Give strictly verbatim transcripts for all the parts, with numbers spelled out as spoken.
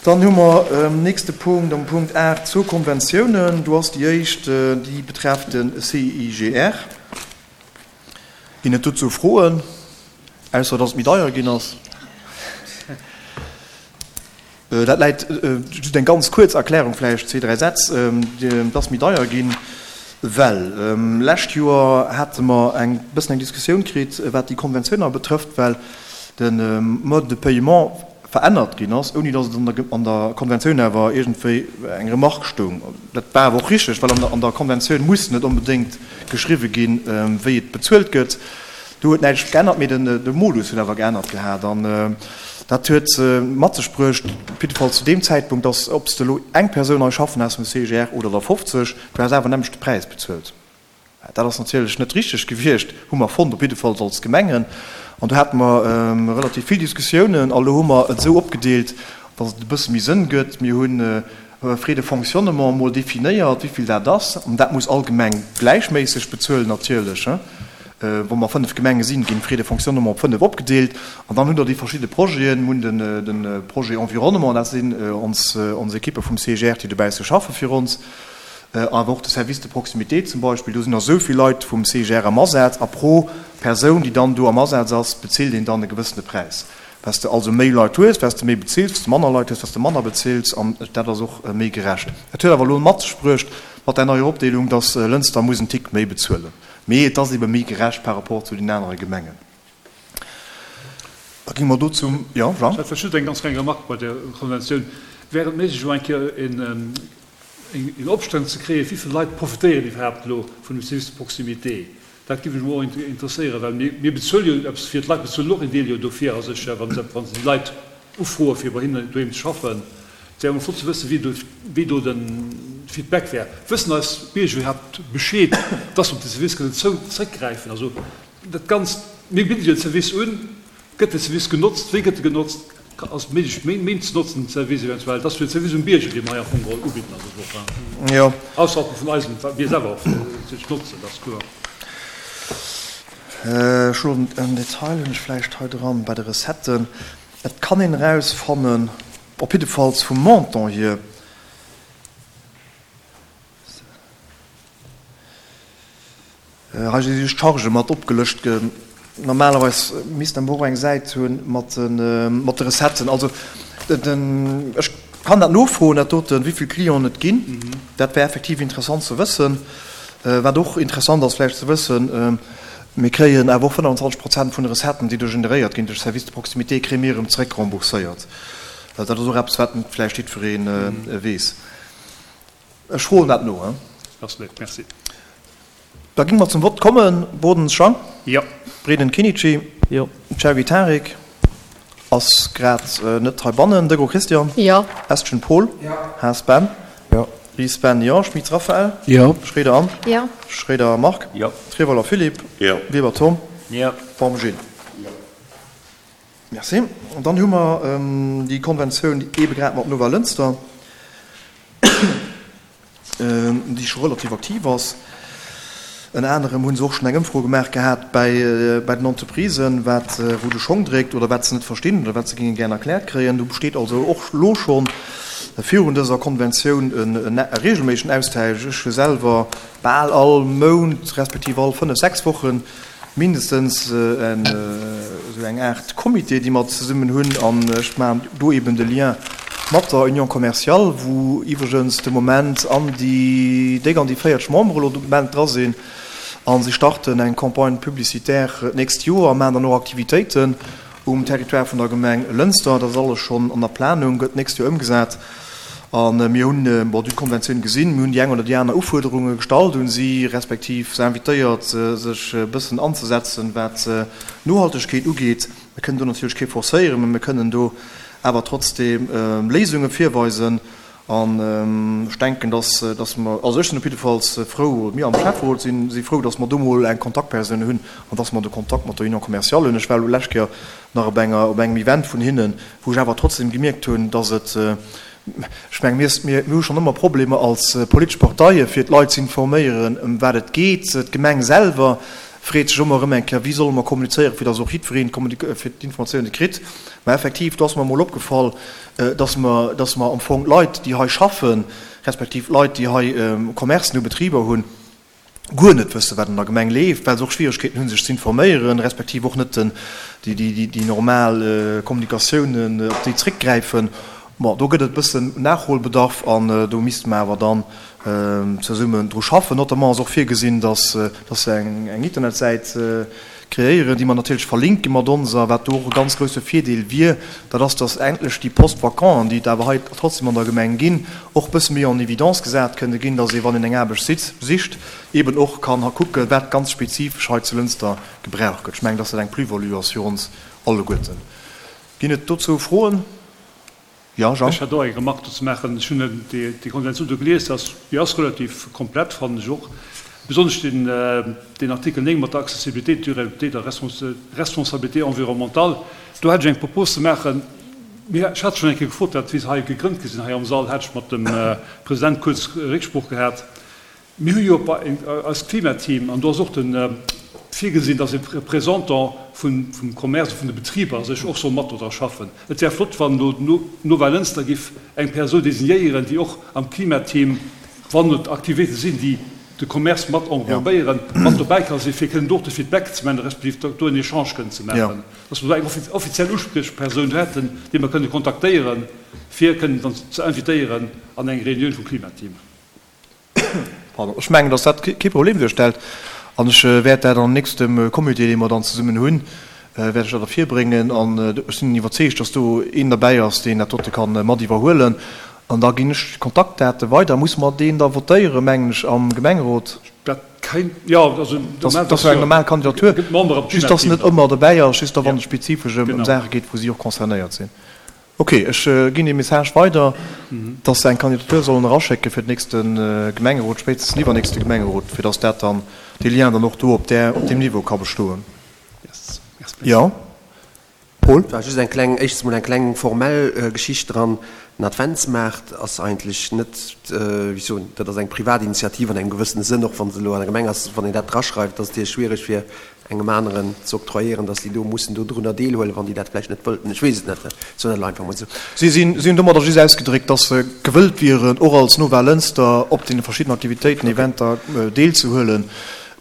Dann hu mer um nächste Punkt, am Punkt aacht, zwou Konventiounen. Do ass déi éischt, déi betrefft de C I G R. Ginn et dozou Froen, ausser dass et méi deier ginn ass? Dat läit, just eng ganz kuerz Erklärung vläicht, zwee, dräi Sätz, et ass méi deier ginn, well lescht Joer hate mer eng bëssen eng Diskussioun kritt, wat déi Konventioun betrëfft, well de Mode de paiement verännert ginn ass, ouni datt et an der an der Konventioun awer iergendwéi eng Remarque stoung. Dat war awer och richteg, well an der an der Konventioun muss net onbedéngt geschriwwe ginn, wéi et bezuelt gëtt. Do huet näischt geännert, mee den de Modus huet awer geännert gehat an dat huet mat sech bruecht, op jidde Fall zu deem Zäitpunkt, datt ob s de elo eng Persoun hei schaffen has vum C G R oder der fofzeg, du has awer nämmlechte Präis bezuelt. Dat ass natierlech net richteg gewiescht, hu mer fonnt, op jiddefalls als Gemengen. An do hate mer relativ vill Diskussiounen. A lo hu mer et esou opgedeelt, datt et e bësse méi Sënn gëtt. Mir hu Frais de fonctionnement emol definéiert, wéi vill dat ass. An dat muss all Gemeng gläichméisseg bezuelen natierlech. Wa mer fënnef Gemenge sinn, ginn d'Frais de fonctionnement op fënnef opgedeelt. An dann hunn der déi verschidde Projeten. Mir hunn de Projet Environnement, dat sinn ons Ekippe vum C G R, déi dobäisse schaffe fir ons. Awer och de Service de proximité zum Beispill, do sinn der esou vill Leit vum C G R am Asaz a pro Persoun, déi dann do am Asaz ass, bezilt een dann e gewëssene Präis. Wat s de also méi Leit hues, wat s de méi bezills, wat s de manner Leit hues, wat s de manner bezills, an dat ass och méi gerecht. Dat huet awer elo mat sech bruecht, mat där neier Opdeelung, dass Lënster muss en Tick méi bezuelen. Mee et ass ebe méi gerecht par rapport zu den anere Gemengen. Da gi mer do zum, jo, Jean? Ech hätt just eng ganz kleng Remarque bei där Konventioun. Wär et méiglech, elo eng Kéier en eng Opstellung ze kréien, wéi vill Leit profitéieren iwwerhaapt elo vun dem Service de proximité? Dat géif mech emol och interesséieren, well mir, mir bezuele jo eppes fir, d'Leit bezuelen och en Deel jo dofir a sech, wa se, wa se déi Leit ufroe fir bei hinnen doheem ze schaffen. Et wär emol flott ze wëssen, wéi do, wéi do de Feedback wär. Wëssen eis Bierger iwwerhaapt Bescheed, dass se op de Service kënnen zou, zréckgräifen? Also dat Ganzt, mir bidde jo den Service un, gëtt de Service genotzt, wéi gëtt e genotzt? Ass et méiglech, méi méi ze notzen, den Service eventuell? Dat ass jo den Service um Bierger, dee mer hei am Fong geholl ubidden, also och, Jo. Ausserhalb vun eisem, wat mir selwer och natierlech notzen, dat ass kloer. Ech hunn en Detail hunn ech vläicht hei dran bei de Recetten. Et kann een erausfannen, op jiddefalls vum Montant hier, Hei si just d'Chargë mat opgelëscht. Normalerweis misst am Büro eng Säit hunn mat de Recetten. Also ech kann dat nofroen, dat doten, wéi vill Clienten et ginn. Dat wär effektiv interessant ze wëssen. Wat och interessant ass vläicht ze wëssen, mir kréien awer och fënnfanzwanzeg Prozent vun de Recetten, déi do generéiert ginn duerch Service de proximité, kréie mir erëm zeréck rembourséiert. Dat ass och eppes, wat net vläicht jiddweree weess. Ech froen dat no. Ass léif, merci. Da géinge mer zum Vott kommen. Bodens Jean. Jo. Breden Kinnici. Jo. Cherry Tarik ass grad net heibannen. Degro Christian. Jo. Estgen Paul. Jo. Haas Ben. Jo. Ries Ben, jo. Schmitz Raphaël. Jo. Schroeder Anne. Jo. Schroeder Marc. Jo. Trewolwer Philippe. Jo. Weber Tom. Jo. Baum Gilles. Jo. Merci. An dann hu mer déi Konventioun eebe grad mat Nova Lënster, déi scho relativ aktiv ass. Ënner anerem hu se och schonn eng Ëmfro gemaach gehat bei den Entreprisen, wat wou de Schong dréckt oder wat se net verstinn oder wat se géinge gären erkläert kréien. Do besteet also och elo scho virun dëser Konventioun e reegelméissegen Austausch. Ech hu selwer bal all Mount respektiv all fënnef, sechs Wochen mindestens esou eng Aart Comité, déi mer zesummen hunn, an ech maachen do eben de Lien mat der Union commerciale, wou iwwregens de Moment an déi déck an déi véierzeg Membere elo de Moment dra sinn, a si starten eng Campagne publicitaire d'nächst Joer a maachen dann och Aktivitéiten um Territoire vun der Gemeng Lënster. Dat ass alles schonn an der Planung, gëtt d'nächst Joer ëmgesat. A mir hunn, bon, déi Konventioun gesinn, mir hunn déi eng oder déi aner Ufuerderunge gestallt un si, respektiv se invitéiert, sech e bëssen anzesetzen, wat d'Nohaltegkeet ugeet. Mir kënnen do natierlech kee forcéieren, mä mir kënnen do awer trotzdeem Léisunge virweisen. An ech denken, dass, dass mer, also ech sinn op jiddefalls frou, oder mir am Schäfferot sinn, si frou, dass mer do mol eng Kontaktpersoun hunn an dass mer de Kontakt mat der Union commerciale hunn. Ech war elo d'lescht Kéier nach op enger, op engem Event vun hinnen, wou ech awer trotzdeem gemierkt hunn, dass et, ech mengen, mir, mir hu schonn ëmmer Problemer als politesch Parteie fir d'Leit ze informéieren, ëm wat et geet. D'Gemeng selwer freet sech ëmmer erëm eng Kéier, wéi solle mer kommunizéieren, fir dass och jiddwereen fir d'Informatiounen kritt. Mä effektiv, do ass mer emol opgefall, dass mer, dass mer am Fong d'Leit, déi hei schaffen, respektiv d'Leit, déi hei Commercen hu, Betriber hunn, guer net wëssen, wat an der Gemeng leeft, well se och Schwieregkeeten hunn, sech ze informéieren, respektiv och net déi, déi, déi normal Kommunikatiounen, op déi zréckgräifen. Bon, do gëtt et e bëssen Nachholbedarf an do misste mer awer dann zesummen dru schaffen. Notamment ass och virgesinn, dass, dass se eng, eng Internetsäit kreéieren, déi mer natierlech verlinke mat onser. Wat do och e ganz grouse Virdeel wier, dat ass, dass endlech déi Postes-vacants, déi et awer hei trotzdem an der Gemeng ginn, och e bësse méi en évidence gesat kënne ginn, dass ee, wann een eng Aarbecht sicht, eeben och kann kucken, wat ganz spezifesch hei zu Lënster gebraucht gëtt. Ech mengen, dass dat eng Plus-value ass fir ons alleguerten. Ginn et dozou Froen? Jo, Jean? Ech hätt och eng Remarque do ze maachen. Ech hunn déi Konventioun do gelies. Déi ass relativ komplett, fannen ech och. Besonnesch deen Artikel néng mat der Accessibilité, Durabilité a Responsabilité environnementale. Do hätt ech eng Propos ze maachen. Ech hat schonn eng Kéier gefrot, dat wéi se hei gegrënnt gi sinn hei am Sall, hat ech mat dem President kuerz Récksprooch gehat. Mir hu jo bei eist Klimateam, an do ass och de virgesinn, dass e Représentant vum Commerce, vun de Betriber sech och soll mat do dra schaffen. Et wär flott, wann elo Nova Lënster giff eng Persoun designéieren, déi och am Klimateam, wann et Aktivitéite sinn, déi de Commerce mat englobéieren, mat dobäi ka sinn, fir kënnen do och de Feedback ze maachen, respektiv do en Echange kënnen ze maachen, dass mer do eng offiziell Uspriechpersoun hätten, déi mer kënnen kontaktéieren, fir kënnen dann ze invitéieren an eng Reunioun vum Klimateam. Pardon. Ech mengen, dass dat kee Problem duerstellt an ech wäert dat am nächste Comité, dee mer dann zesummen hunn, wäert ech dat ervirbréngen an ech sinn iwwerzeegt, dass do een derbäi ass, deen dat dote ka mat iwwerhuelen. An da ginn ech d'Kontaktdate weider. Muss mer deen da votéieren, mengen ech, am Gemengerot? Dat kéint, jo, also normal. Dat ass jo eng normal Kandidatur, just dass en net ëmmer derbäi ass, just da wann et spezifesch ëm Saache geet, wou si och concernéiert sinn. Ok, ech ginn dee Message weider, dass se eng Kandidatur sollen eraschécke fir den nächste Gemengerot, spéitstens den iwwernächste Gemengerot, fir dass dat dann, dee Lien dann och do op där, op deem Niveau ka bestoen. Jo, Paul? War just eng kleng, éischtens mol eng kleng formell Geschicht dran. Den Adventsmaart ass eigentlech net, wéi ech soen, dat ass eng privat Initiativ an engem gewëssene Sënn, och wa se elo an der Gemeng ass. Wann een dat draschreift, ass et natierlech schwiereg fir engem aneren ze octroyéieren, dass déi do mussen dodrunner deelhuelen, wann déi dat vläicht net wëllten. Ech weess et net, ech soen dat elo einfach mol esou. Si sinn, si hunn domadder just ausgedréckt, dass se gewëllt wieren, och als Nova Lënster op deene verschiddenen Aktivitéiten, Eventer deelzehuelen,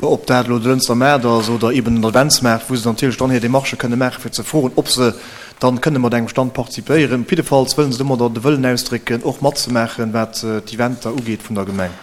ob dat elo de Lënster Maart ass oder eeben den Adventsmaart, wou se natierlech dann hir Demarchë kënne maachen, fir ze froen, ob se dann kënne mat engem Stand participéieren. Op jiddefalls wëllen se domadder de Wëllen ausdrécken, och matzemaachen, wat d'Eventer ugeet vun der Gemeng.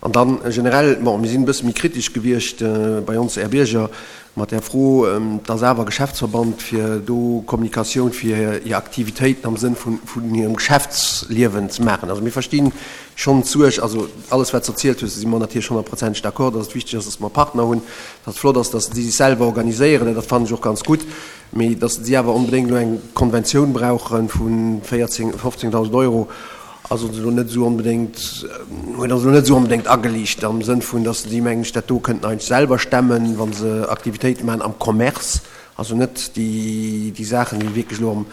An dann generell, bon, mir sinn e bësse méi kritesch gewiescht bei ons Är Bierger mat där Fro, dass awer Geschäftsverband fir do Kommunikatioun fir hir Aktivitéiten am Sënn vun hirem Geschäftsliewen ze maachen. Also mir verstinn schonn d'Suerg, also alles wat s de erzielt hues, do si mer natierlech honnertprozenteg d'accord, dass et wichteg ass, dass mer Partner hunn, dass et flott ass, dass si sech selwer organiséieren, dat fannen ech och ganz gutt, mee dass si awer onbedéngt elo eng Konventioun brauche vu véierzéng, fofzéngtausend Euro, ass ons elo net esou onbedéngt, huet ons elo net esou onbedéngt ageliicht am Sënn vun, dass si, mengen ech, dat do kënnten eigentlech selwer stemmen, wa se Aktivitéite maachen am Commerce, also net déi, déi Saachen, déi wierklech elo am,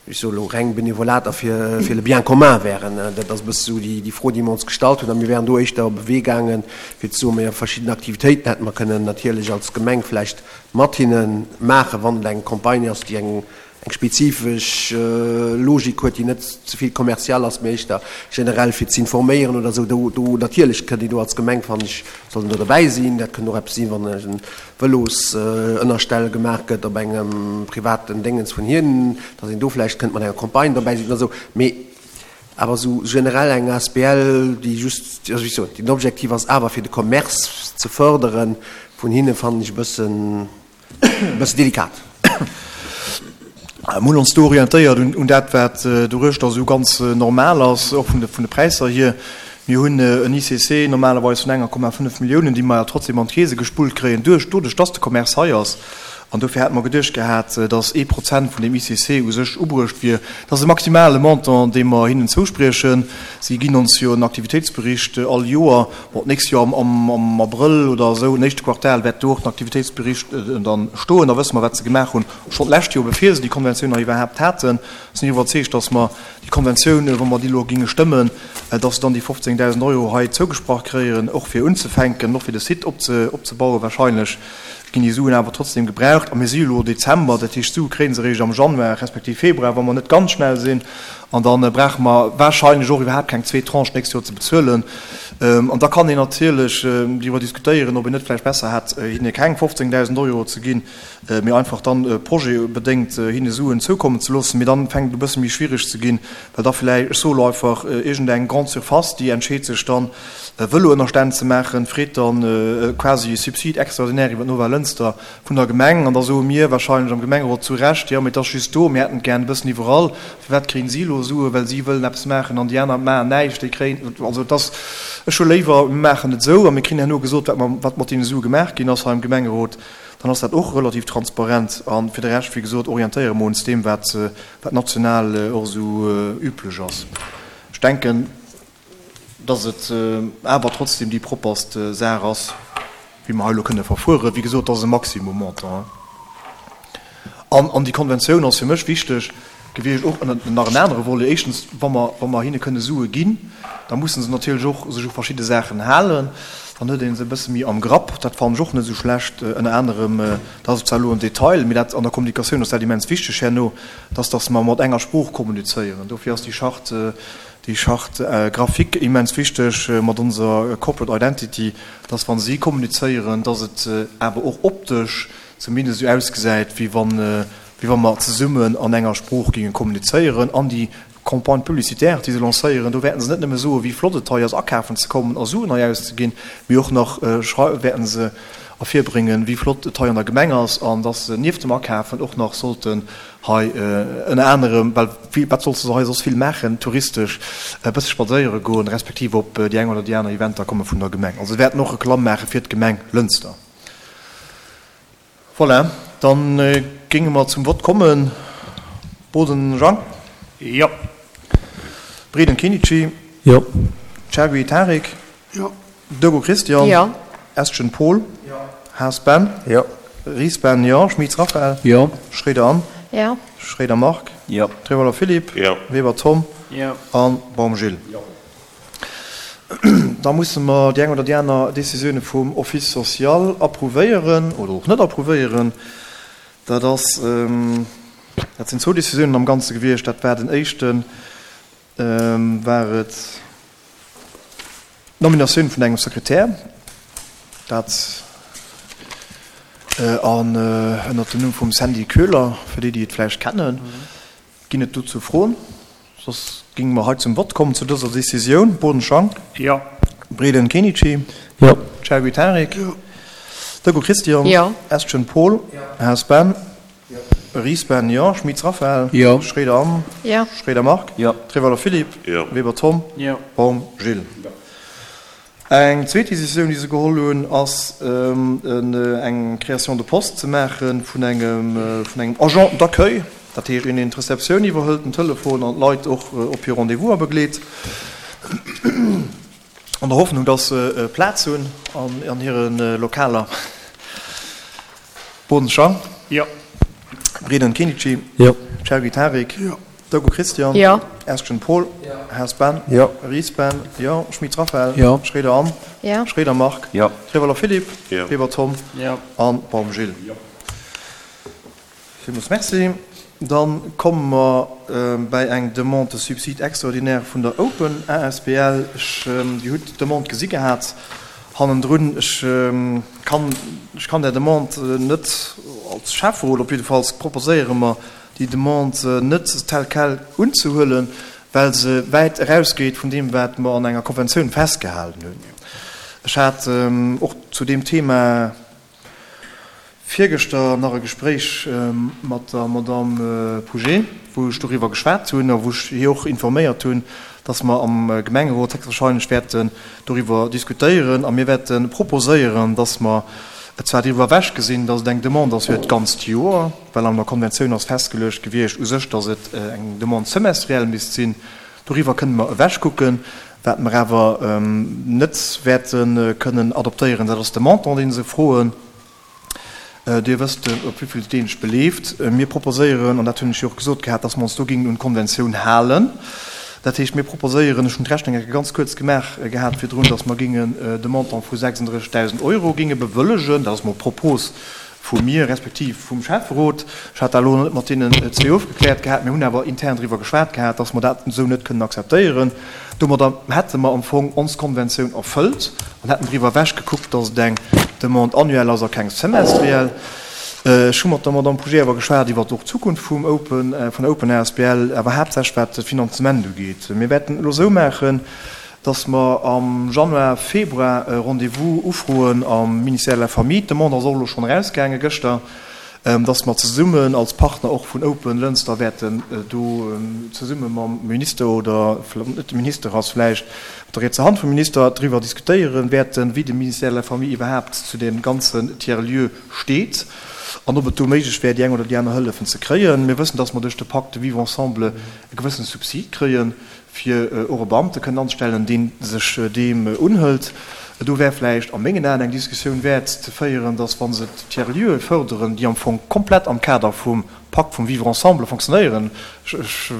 ech soe elo reng Benevolat a fir, fir le bien commun wären. Dat ass e bësse esou déi, déi Fro, déi mer ons gestallt hunn. A mir wären do éischter op e Wee gaangen, fir ze soen, majo, verschidden Aktivitéiten hätte mer kënnen natierlech als Gemeng vläicht mat hinne maachen, wann et eng Campagne ass, déi eng, eng spezifesch Logik huet, déi net ze vill kommerziell ass, mee éischter generell fir z'informéieren oder esou. Do, do natierlech kënnt een do als Gemeng, fannen ech, soll een do derbäi sinn. Dat kënnt och eppes sinn, wann e Vëlosënnerstell gemaach gëtt op engem privaten Déngens vun hinnen, datt een do vläicht kënnt mat enger Campagne derbäi sinn oder esou. Mee awer esou generell eng asbl, déi just, also wéi ech soen, den Objektiv ass awer fir de Commerce ze fërderen vun hinnen, fannen ech e bëssen, e bëssen delikat. Mir hunn ons do orientéiert un dat, wat doruechter esou ganz normal ass, och vun de Präisser hier. Mir hunn en I C C normalerweis vun enger Komma fënnef Milliounen, déi mer awer trotzdem an d'Keese gespullt kréien, duerch doduerch, dass de Commerce hei ass. An dofir hate mer geduecht gehat, dass ee Prozent vun deem I C C u sech ubruecht wier. Dat ass e maximale Montant, dee mer hinnen zouspriechen. Si ginn ons jo en Aktivitéitsbericht all Joer. Bon, d'nächst Joer am, am Abrëll oder esou, am éischte Quartal, wäert do och den Aktivitéitsbericht dann stoen. Da wësse mer, wat se gemaach hunn. Schonn d'lescht Joer, bevir se déi Konventioun nach iwwerhaapt haten, sinn ech iwwerzeegt, dass mer déi Konventioun, wa mer déi elo géinge stëmmen, dass se dann déi fofzéngdausend Euro hei zougesprach kréien, och fir unzefänken, och fir de Site opzebauen wahrscheinlech. Ginn déi Suen awer trotzdem gebraucht. A mir si elo Dezember, dat heescht, d'Sue kréie se eréischt am Januar respektiv Februar, wa mer net ganz schnell sinn. An da brauche mer wahrscheinlech och iwwerhaapt keng zweet Tranche d'nächst Joer ze bezuelen. An da kann een natierlech driwwer diskutéieren, ob een net vläicht besser hätt, hinne keng fofzéngdausend Euro ze ginn, mee einfach dann projetbedéngt hinne Suen zoukommen ze loossen. Mee dann fänkt et e bësse méi schwierig ze ginn, well da vläicht, ech soe elo einfach, iergendeng Grande Surface, déi entscheet sech dann, Vëloënnerstänn ze maachen, freet dann quasi e Subside extraordinaire iwwer d'Nova Lënster vun der Gemeng. An da soe mir wahrscheinlech am Gemengerot zu Recht, jo, mee et ass just do, mir hätten et gären e bëssen iwwerall. Firwat kréien si elo Sue, well si wëllen eppes maachen an déi aner maachen näischt, déi kréien, also et ass, ech hu léiwer, mir maachen et esou a mir kréien herno gesot, wat mer, wat mat deene Sue gemaach ginn ass hei am Gemengerot, dann ass dat och relativ transparent. A fir de Rescht, wéi gesot, orientéiere mer ons deem, wat, wat national och esou üblech ass. Ech denken, dass et awer trotzdem déi propperst Saach ass, wéi mer hei elo kënne verfueren. Wéi gesot, dat ass e Maximum-Montant. An, an déi Konventioun ass fir mech wichteg gewiescht, och ënner nach en anere Volet. Éischtens, wa mer, wa mer hinne kënne Sue ginn, da musse se natierlech och sech u verschidde Saachen halen. Dann huet ee se e bësse méi am Grapp. Dat fannen ech och net esou schlecht. Ënner anerem, dat ass zwar elo en Detail, mee dat an der Kommunikatioun ass dat immens wichteg herno, dass, dass mer mat enger Sprooch kommunizéieren. Dofir ass déi Charte, déi Charte graphique immens wichteg mat onser Corporate Identity, dass wa si kommunizéieren, dass et awer och optesch zumindest esou ausgesäit, wéi wann, wéi wa mer zesummen an enger Sprooch géinge kommunizéieren. An déi Campagne publicitaire, déi se lancéieren, do wäerten se net nëmme soen, wéi flott et hei ass, akafen ze kommen a Suen hei auszeginn, mee och nach wäerten se ervirbréngen, wéi flott et hei an der Gemeng ass an dass se nieft dem Akafen och nach sollten hei ënner anerem, well wat solls de hei soss vill maachen, touristesch e bësse spadséiere goen, respektiv op déi eng oder déi aner Eventer komme vun der Gemeng. Also se wäerten och Reklamm maache fir d'Gemeng Lënster. Voilà, da géinge mer zum Vott kommen. Boden Jean? Jo. Breden Kenichi? Jo. Chergui Tarik? Jo. Dego Christian? Jo. Estgen Paul? Jo. Haas Ben? Jo. Ries Ben, jo. Schmitz Raphael? Jo. Schréider Anne? Jo. Schréider Marc? Jo. Trevoller Philippe? Jo. Weber Tom? Jo. An Baum Gilles? Jo. Da musse mer déi eng oder déi aner Décisioune vum Office social approuvéieren oder och net approuvéieren. Dat ass, dat sinn zwou Décisiounen am Ganze gewiescht. Dat war den éischten, war et d'Nominatioun vun engem Sekretär, dat an ënnert dem Numm vum Sandy Köhler, fir déi, déi et vläicht kennen. Ginn et dozou Froen? Soss géinge mer hei zum Vott kommen zu dëser Décisioun. Boden Jean. Jo. Breden Kenichi. Jo. Chergui Tarik. Jo. Deco Christian. Jo. Estgen Paul. Jo. Haas Ben. Jo. Ries Ben, jo. Schmitz Raphael. Jo. Schréider Anne. Jo. Schréider Marc. Jo. Trevoller Philippe. Jo. Weber Tom. Jo. Baum Gilles. Jo. Eng zweet Décisioun, déi se geholl hunn, ass eng Création de poste ze maache vun engem vun engem Agent d'accueil, dat heescht een, deen d'Receptioun iwwerhëlt, den Telefon an d'Leit och op hir Rendez-vouser begleet, an der Hoffnung, dass se Plaz hunn an hire Lokaler. Boden Jean. Jo. Breden Kenichi. Jo. Chergui Tarik. Jo. Deco Christian. Jo. Estgen Paul. Jo. Haas Ben. Jo. Ries Ben. Jo. Schmitz Raphael. Jo. Schréider Anne. Jo. Schréider Marc. Jo. Trevoller Philippe. Jo. Weber Tom. Jo. An Baum Gilles. Jo. Villmools Merci. Dann komme mer bäi eng Demande de subside extraordinaire vun der Open A S B L. Ech, Dir hutt d'Demande gesi gehat hannendrun. Ech kann, ech kann där Demande net als Schäfferot, op jiddefalls proposéiere mer, déi Demande net tel quel unzehuelen, well se wäit erausgeet vun deem, wat mer an enger Konventioun festgehalen hunn. Ech hat och zu deem Thema virgëschter nach e Gespréich mat der Madame Pouget, wou ech doriwwer geschwat hunn a wou ech hir och informéiert hunn, dass mer am Gemengerot héchstwahrscheinlech wäerten doriwwer diskutéieren a mir wäerte proposéieren, dass mer zwar driwwer ewechgesinn, dass et eng Demande ass fir d'ganzt Joer, well an der Konventioun ass festgeluecht gewiescht u sech, dass et eng Demande semestrielle misst sinn. Doriwwer kënne mer ewechkucken. Wat mer awer net wäerte kënnen adoptéieren, dat ass de Montant, dee se froen. Dir wësst, op wéi vill deen sech beleeft. Mir proposéieren, an dat hunn ech jo och gesot gehat, dass mer ons do géingen un d'Konventioun halen. Dat heescht, mir proposéieren, ech hunn d'Rechnung eng Kéier ganz kuerz gemaach gehat virdrun, dass mer géingen de Montant vu sechsunddrëssegdausend Euro géinge bewëllegen. Dat ass mol d'Propos vu mir respektiv vum Schäfferot. Ech hat dat elo net mat deenen zwee ofgekläert gehat. Mir hunn awer intern driwwer geschwat gehat, dass mer dat esou net kënnen akzeptéieren. Domadder hätte mer am Fong ons Konventioun erfëllt an hätten driwwer ewechgekuckt, dass et eng Demande annuelle ass a keng semestriell. Ech hu mat der Madame Pouget awer geschwat iwwer och d'Zukunft vum Open, vun der Open asbl, awer haaptsächlech wat de Finanzement ugeet. Mir wäerten et elo esou maachen, dass mer am Januar, Februar e Rendez-vous ufroen am Ministère de la Famille, d'Demande ass och elo schonn erausgaange gëschter, dass mer zesummen als Partner och vun Open Lënster wäerten do zesumme mam Minister oder net de Minister ass vläicht mat der rietser Hand vum Minister driwwer diskutéiere wäerten, wéi de Ministère de la Famille iwwerhaapt zu deem ganzen Tiers-lieu steet an ob et do méiglech wär, déi eng oder déi aner Hëllefen ze kréien. Mir wëssen, dass mer duerch de Pacte Vivre ensemble e gewëssene Subsid kréien, fir och e Beamte kënnen anzestellen, dee sech deem unhëlt. Do wär vläicht a mengen Aen eng Diskussioun wäert ze féieren, dass, wa se d'Tiers-lieue fërderen, déi am Fong komplett am Kader vum Pakt vum Vivre ensemble fonctionnéieren, ech,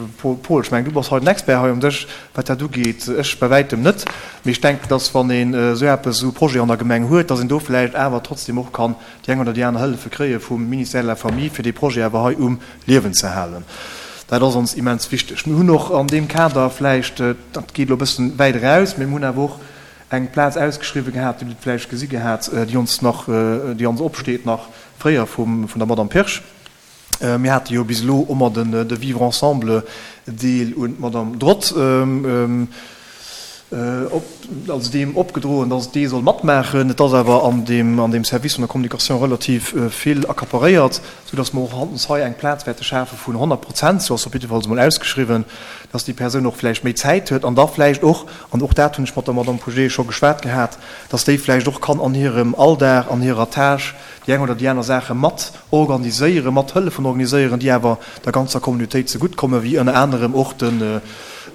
Paul, ech mengen, du bass hei den Expert hei um Dësch, wat dat ugeet, ech bei wäitem net, mee ech denken, dass, wann een esou eppes, esou e Projet an der Gemeng huet, dass een do vläicht awer trotzdem och kann déi eng oder déi aner Hëllefe kréie vum Ministère de la Famille, fir dee Projet awer hei um Liewen ze halen. Dat ass ons immens wichteg. Mir hunn och an deem Kader vläicht, dat geet elo e bëssen wäit eraus, mee mir hunn awer och eng Plaz ausgeschriwwen gehat, déi hutt Der vläicht gesi gehat, déi ons nach, déi ons opsteet nach fréier vum, vun der Madame Pirsch. Mir hate jo bis elo ëmmer den, de Vivre ensemble Deel un d'Madame Drot op, also deem opgedroen, dass dee soll matmaachen. Et ass awer an deem, an deem Service vun der Communication relativ vill accaparéiert, soudass mer och hautens hei eng Plaz wäerte schafe vun honnert Prozent, sou ass se op jiddefalls emol ausgeschriwwen, dass déi Persoun och vläicht méi Zäit huet an da vläicht och, an och dat hunn ech mat der Madame Pouget scho geschwat gehat, dass déi vläicht och kann an hirem Alldag, an hirer Tâche déi eng oder déi aner Saache mat organiséieren, mat hëllefen organiséieren, déi awer der ganzer Communautéit zegutt kommen, wéi ënner anerem och den,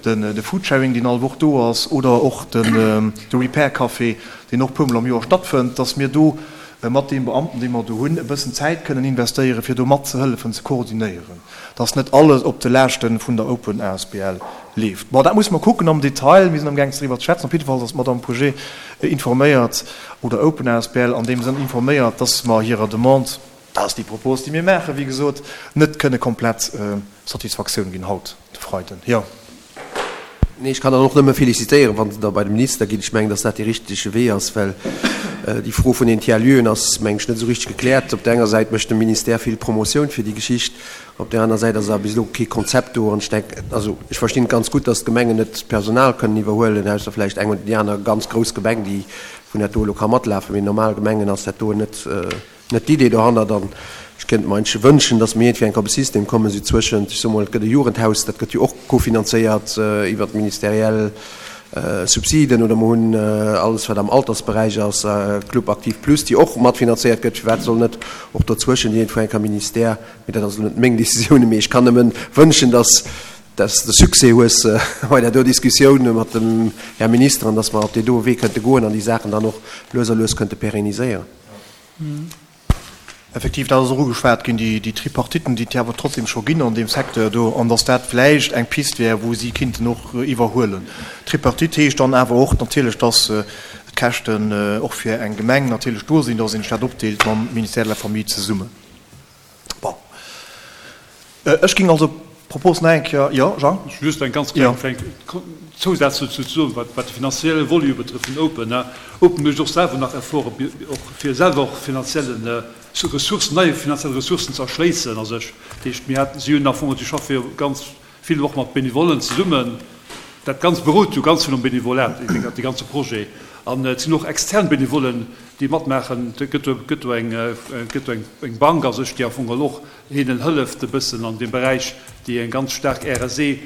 de Foodsharing, deen all Woch do ass, oder och de Repair Café, deen och puermol am Joer stattfënnt, dass mir do mat deem Beamten, dee mer do hunn, e bëssen Zäit kënnen investéieren, fir do matzehëllefen ze koordinéieren, dass net alles op de Laaschte vun der Open asbl leeft. Bon, dat musse mer kucken am Detail. Mir sinn amgaang driwwer ze schwätzen. Op jidde Fall ass d'Madame Pouget informéiert, oder Open asbl an deem Sënn informéiert, dass mer hirer Demande, dat ass déi Propos, déi mir maachen, wéi gesot, net kënne komplett Satisfaktioun ginn haut de Freiden. Jo. Nee, ech kann dann och nëmme félicitéieren, wann se da bei de Minister ginn. Ech mengen, dass dat dee richtege Wee ass, well déi Fro vun den Tiers-lieuxen ass, meng ech, net esou richteg gekläert. Op där enger Säit mécht de Ministère vill Promotioun fir déi Geschicht, op där aner Säit ass awer bis elo kee Konzept do. An ech denken, also ech verstinn et ganz gutt, dass d'Gemengen net d'Personal kënnen iwwerhuelen, ausser vläicht eng oder déi aner ganz grouss Gemeng, déi vun dat do elo ka matlafen. Mee normal Gemengen ass dat do net, net d'Idee dohannert. An ech kéint mer eigentlech wënschen, datt mir iergendwéi enk op e System kommen, esou zwëschent, ech soe mol, et gëtt e Jugendhaus, dat gëtt jo och kofinanzéiert iwwert ministeriell Subsiden, oder mer hunn alles, wat am Altersberäich ass, Club Aktiv Plus, déi och matfinanzéiert gëtt. Firwat soll net och dozwëschen iergendwou enk am Ministère, mee dat ass elo net meng Décisioun, mee ech kann nëmmen wënschen, datt dass de Succès hues bei där do Diskussioun mat dem Här Minister an datt mer op dee doe Wee kënnte goen an déi Saachen dann och lues a lues kënnte pérenniséieren. Effektiv, dat ass och ugeschwat ginn, déi Tripartiten, déi et jo awer trotzdem scho ginn an deem Secteur do, an datt dat vläicht eng Pist wär, wou si kinnten och iwwerhuelen. Tripartite heescht dann awer och natierlech, datt d'Käschten och fir eng Gemeng natierlech do sinn, datt een sech dat opdeelt mam Ministère de la Famille zesummen. Bon, ech géing also d'Propos nach eng Kéier, jo, Jean? Just eng ganz kleng Zousaz dozou ze soen, wat de finanzielle Volet betrëfft vun Open. Open mécht och selwer nach Efforten, fir selwer och finanzielle Ressourcen, nei finanziell Ressourcen ze erschléissen a sech. Dat heescht, mir haten, si hunn am Fong, si schaffe jo ganz vill och mat Benevollen zesummen. Dat Ganzt berout jo ganz vill um Benevolat, dee ganze Projet. An et sinn och extern Benevollen, déi matmaachen. Et gëtt do, gëtt do eng, gëtt do eng Bank a sech, déi am Fong och hinnen hëlleft e bëssen an deem Beräich, déi eng ganz staark R S E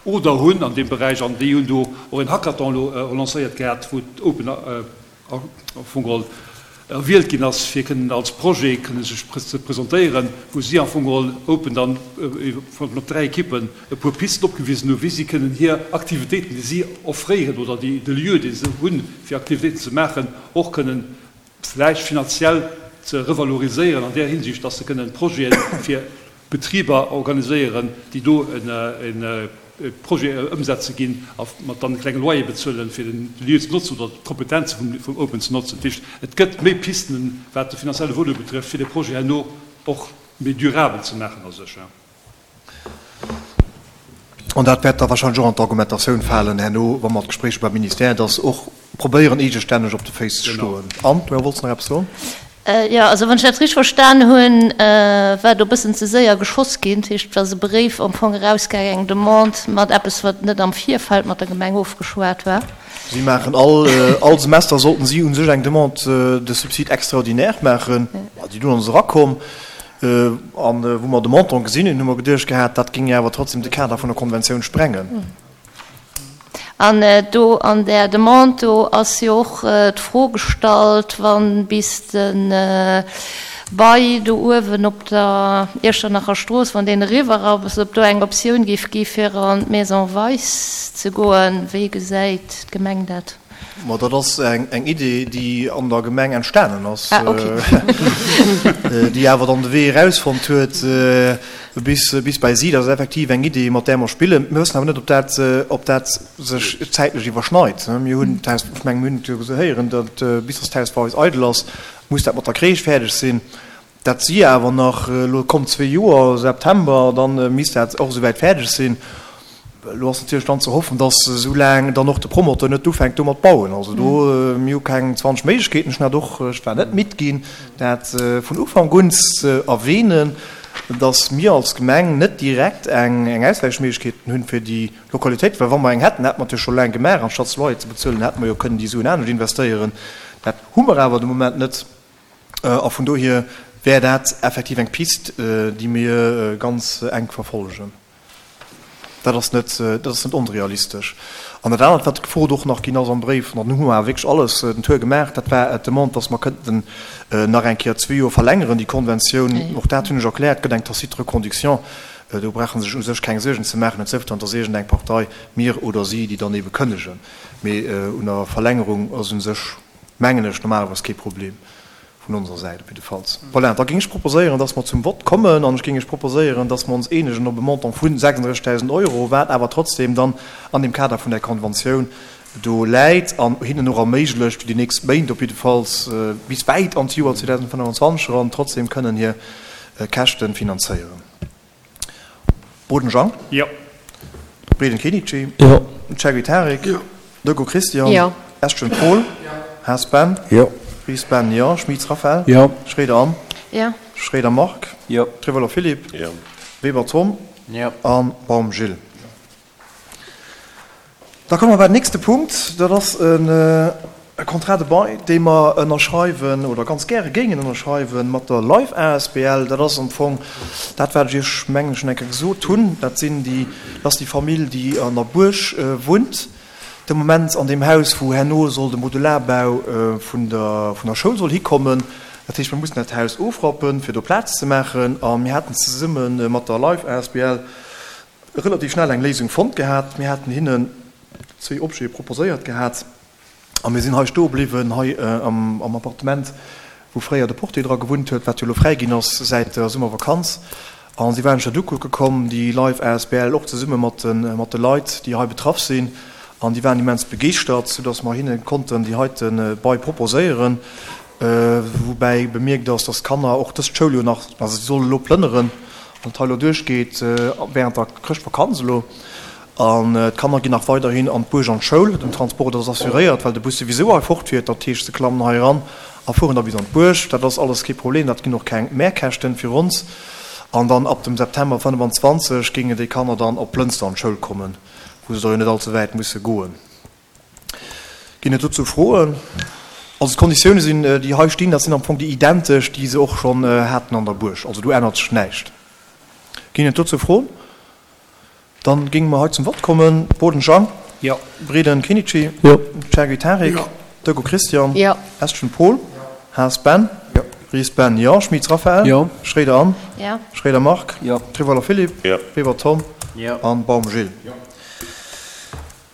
Oder hunn an deem Beräich. An déi hunn do och en Hackathon elo lancéiert gehat, wou d'Open am Fong geholl erwielt ginn ass, fir kënnen als Projet kënnen sech ze presentéieren, wou si am Fong geholl open dann mat dräi Ekippen e puer Pisten opgewisen hunn, wéi si kënnen hir Aktivitéiten, déi si offréieren oder déi de Lieu, dee se hunn, fir Aktivitéiten ze maachen, och kënnen vläicht finanziell ze revaloriséieren an där Hinsicht, dass se kënnen Projete fir Betriber organiséieren, déi do e Projet ëmsetze ginn a mat dann e klenge Loyer bezuelen, fir den Lieu ze notzen oder d'Kompetenze vum Open ze notzen. Dat heescht, et gëtt méi Pisten, wat de finanzielle Volet betrëfft, fir de Projet herno och méi durabel ze maachen a sech. An dat wäert da wahrscheinlech och an d'Argumentatioun falen herno, wa mer d'Gespréicher beim Ministère, dass och probéieren, eegestänneg op de Féiss ze stoen. Anne, du wollts nach eppes soen? Jo, also wann ech dat richteg verstan hunn, war do e bëssen ze séier geschoss ginn. Dat heescht, et ass e Bréif am Fong erausgaangen, eng Demande mat eppes, wat net am Virfeld mat der Gemeng ofgeschwat war. Si maachen all, all Semester sollten si u sech eng Demande de subside extraordinaire maachen. Déi dunn ass erakomm. An wou mer de Montant gesinn hunn, hu mer geduecht gehat, dat géing jo awer trotzdem de Kader vun der Konventioun sprengen. An do an där Demande do ass jo och d'Fro gestallt, wa bis de Bail do uewen op der Iechternacher Strooss, wann deen eriwwer ass, ob do eng Optioun géif gi fir an d'Maison Weis ze goen. Wéi gesäit d'Gemeng dat? Ma dat ass eng Idee, déi an der Gemeng entstanen ass, déi awer dann de Wee erausfonnt huet bis bei si. Dat ass effektiv eng Idee, mat där mer spillen. Mir wëssen awer net, ob dat, ob dat sech zäitlech iwwerschneit. Mir hunn d'Haus, ech mengen, mir hunn et jo héieren, datt bis datt d'Haus bei eis eidel ass, muss dat mat der Crèche fäerdeg sinn. Dat si awer nach elo komm zwee Joer, September, da misst dat och esouwäit fäerdeg sinn. Elo ass natierlech dann ze hoffen, dass esou laang dann och de Promoteur net ufänkt do mat bauen. Also do, mir hu keng zwanzeg Méiglechkeeten. Ech hunn dat och, ech war net midd ginn, dat vun Ufank un ze erwähnen, dass mir als Gemeng net direkt eng Auswäichméiglechkeet hunn fir déi Lokalitéit. Well wa mer eng hätten, hätte mer et jo scho laang gemaach. Anstatt se Loyer ze bezuelen, hätte mer jo kënnen déi Suen anescht investéieren. Dat hu mer awer de Moment net. A vun dohier wär dat effektiv eng Pist, déi mir ganz enk verfollegen. Dat ass net, dat ass net onrealistesch. An dat anert, wat gefrot och nach ginn ass am Bréif, an dann hu mer awer wierklech alles den Tour gemaach, dat war d'Demande, dass mer kënnten nach eng Kéier zwee Joer verlängeren, déi Konventioun. Och dat hunn ech erkläert, gëtt eng tacite Reconduction. Do brauche se sech u sech keng Suergen ze maachen, et sief dann, dass iergendeng Partei, mir oder si, déi dann ebe kënnegen. Mee un der Verlängerung ass u sech, mengen ech, normalerweis kee Problem. Vun onser Säit op jiddefalls. Voilà, da géing ech proposéieren, dass mer zum Vott kommen. An ech géing Iech proposéieren, dass mer ons eenegen op e Montant vu sechsunddrëssigdausend Euro, wat awer trotzdem dann an dem Kader vun där Konventioun do läit an hinnen och erméiglecht, fir déi nächst Méint op jiddefalls bis wäit an d'Joer zweedausendfënnefenzwanzeg eran trotzdem kënnen hir Käschte finanzéieren. Boden Jean. Jo. Breden Kenichi. Jo. Cheguy Tarik. Jo. Decaux Christian. Jo. Estgen Paul. Jo. Haas Ben. Jo. Ries Ben, jo. Schmitz Raphaël. Jo. Schroeder Anne. Jo. Schroeder Marc. Jo. Trevolo Philippe. Jo. Weber Tom. Jo. A Baum Gilles. Da komme mer bei den nächste Punkt. Dat ass e Contrat de bail, dee mer ënnerschreiwen oder ganz gäre géingen ënnerschreiwen mat der Life asbl. Dat ass am Fong dat, wat ech Iech, mengen ech, schonn eng Kéier gesot hunn. Dat sinn déi, dat ass déi Famill, déi an der Buerg wunnt de Moment, an deem Haus, wou herno soll de Modularbau vun der, vun der Schoul soll hikommen. Dat heescht, mir mussen dat Haus ofrappen, fir do Plaz ze maachen. A mir haten zesumme mat der Life asbl relativ schnell eng Léisung fonnt gehat. Mir haten hinnen zwee Objete proposéiert gehat a mir sinn hei stoe bliwwen, hei am Appartement, wou fréier de Portier dra gewunnt huet, wat jo elo fräi ginn ass säit der Summervakanz. A si waren sech dat ukucke komm, déi Life asbl, och zesumme mat de mat de Leit, déi hei betraff sinn. An déi waren immens begeeschtert, soudass mer hinne konnten déi heite Bail proposéieren. Woubäi bemierkt ass, dass d'Kanner och dëst Schouljoer nach, also si solle elo plënneren, wann et hei elo duerchgeet, während der Chrëschtvakanz elo. An d'Kanner ginn nach weiderhin an d'Buerg an d'Schoul. Den Transport ass assuréiert, well de Bus souwisou hei fortfiert. Dat heescht, se klammen hei eran a fueren da bis an d'Buerg. Dat ass alles kee Problem, dat ginn och keng Mehrkäschten fir ons. An dann ab dem September fënnefenzwanzeg géingen déi Kanner dann op Lënster an d'Schoul kommen, wou se da jo net allze wäit musse goen. Ginn et dozou Froen? Also d'Konditioune sinn, déi hei stinn, dat sinn am Fong déi identesch, déi se och schonn haten an der Buerg. Also do ännert sech näischt. Ginn et dozou Froen? Dann géinge mer hei zum Vott kommen. Boden Jean. Jo. Breden Kenichi. Jo. Chergui Tarik. Jo. Decaux Christian. Jo. Estgen Paul. Haas Ben? Jo. Ries Ben, Jo. Schmitz Raphaël? Jo. Schroeder Anne? Jo. Schroeder Marc? Jo. Rivoller Philippe? Jo. Weber Tom? Jo. An Baum Gilles? Jo.